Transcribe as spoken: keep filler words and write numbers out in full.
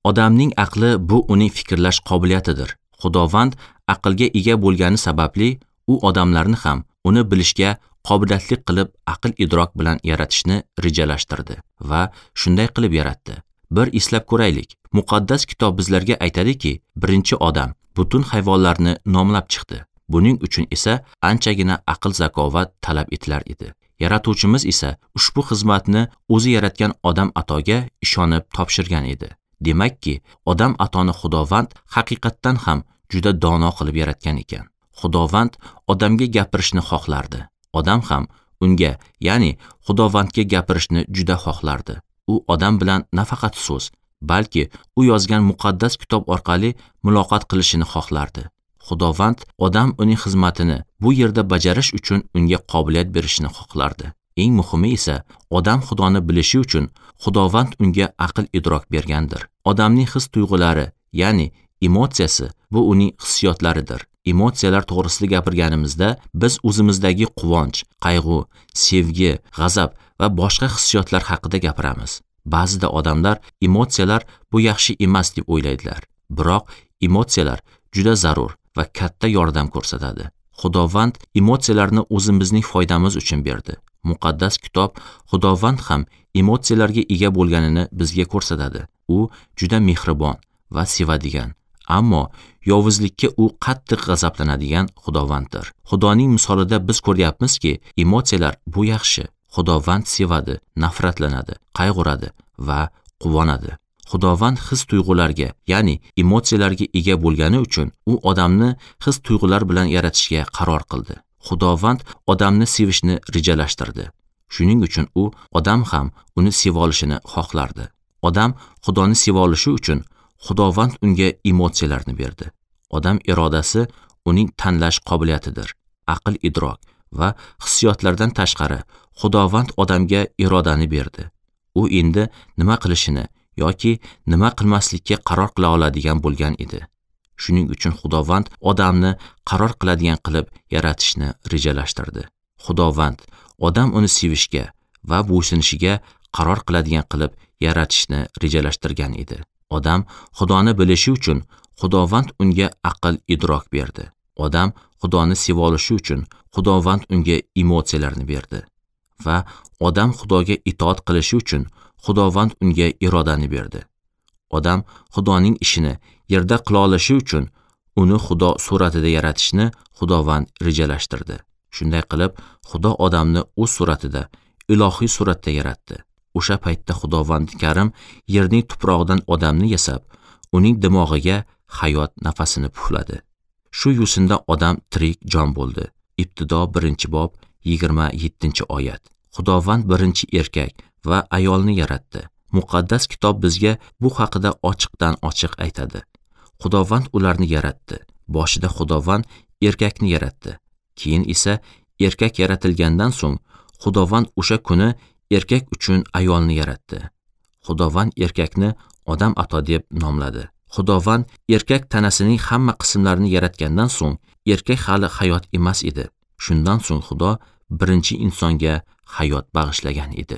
Odamning aqli bu uning fikrlash qobiliyatidir. Xudovand aqlga ega bo'lgani sababli u odamlarni ham uni bilishga qobiliyatli qilib aql idrok bilan yaratishni rejalashtirdi va shunday qilib yaratdi. Bir eslab ko'raylik. Muqaddas kitob bizlarga aytadiki, birinchi odam butun hayvonlarni nomlab chiqdi. Buning uchun esa anchagina aql zakovat talab etilar edi. Yaratuvchimiz esa ushbu xizmatni o'zi yaratgan odam atoga ishonib topshirgan edi. Demakki, odam atoni Xudovand haqiqatdan ham juda dono qilib yaratgan ekan. Xudovand odamga gapirishni xohlardi. Odam ham unga, ya'ni Xudovandga gapirishni juda xohlardi. U odam bilan nafaqat so'z, balki u yozgan muqaddas kitob orqali muloqot qilishini xohlardi. Xudovand odam uning xizmatini bu yerda bajarish uchun unga qobiliyat berishini xohlardi. Eng muhimi esa odam Xudoni bilishi uchun Xudovand unga aql idrok bergandir. Odamning his tuyg'ulari, ya'ni emotsiyasi bu uning hissiyotlaridir. Emotsiyalar to'g'risida gapirganimizda biz o'zimizdagi quvonch, qayg'u, sevgi, g'azab va boshqa hissiyotlar haqida gapiramiz. Ba'zida odamlar emotsiyalar bu yaxshi emas deb o'ylaydilar. Biroq emotsiyalar juda zarur va katta yordam ko'rsatadi. Xudovand emotsiyalarni o'zimizning foydamiz uchun berdi. Muqaddas kitob Xudovand ham emotsiyalarga ega bo'lganini bizga ko'rsatadi. U juda mehribon va sevadigan, ammo yovuzlikka u qattiq g'azablanadigan Xudovanddir. Xudoning misolida biz ko'ryapmizki, emotsiyalar bu yaxshi. Xudovand sevadi, nafratlanadi, qayg'uradi va quvonadi. Xudovand his tuyg'ularga, ya'ni emotsiyalarga ega bo'lgani uchun u odamni his tuyg'ular bilan yaratishga qaror qildi. Xudovand odamni sevishni rejalashtirdi. Shuning uchun u odam ham uni seva olishini xohlardi. Odam Xudoni seva olishi uchun Xudovand unga emotsiyalarni berdi. Odam irodasi uning tanlash qobiliyatidir. Aql idrok va hissiyotlardan tashqari Xudovand odamga irodani berdi. U endi nima qilishini yoki nima qilmaslikka qaror qila oladigan bo'lgan edi. Shuning uchun Xudovand odamni qaror qiladigan qilib yaratishni rejalashtirdi. Xudovand odam uni sevishga va bo'ysunishiga qaror qiladigan qilib yaratishni rejalashtirgan edi. Odam Xudoni bilishi uchun Xudovand unga aql idrok berdi. Odam Xudoni seva olishi uchun Xudovand unga emotsiyalarni berdi. Va odam Xudoga itoat qilishi uchun Xudovand unga irodani berdi. Odam Xudoning ishini yerda qila olishi uchun uni Xudo suratida yaratishni Xudovand rejalashtirdi. Shunday qilib, Xudo odamni o'z suratida, ilohiy suratda yaratdi. O'sha paytda Xudovand Karim yerning tuprog'idan odamni yasab, uning dimog'iga hayot nafasini pufladi. Shu yo'sinda odam tirik jon bo'ldi. Ibtido birinchi bob yigirma yettinchi oyat. Xudovand birinchi erkak va ayolni yaratdi. Muqaddas kitob bizga bu haqida ochiqdan ochiq aytadi. Xudovand ularni yaratdi. Boshida Xudovand erkakni yaratdi. Keyin esa erkak yaratilgandan so'ng Xudovand o'sha kuni erkak uchun ayolni yaratdi. Xudovand erkakni odam ato deb nomladi. Xudovand erkak tanasining hamma qismlarini yaratgandan so'ng erkak hali hayot emas edi. Shundan so'ng Xudo birinchi insonga hayot bag'ishlagan edi.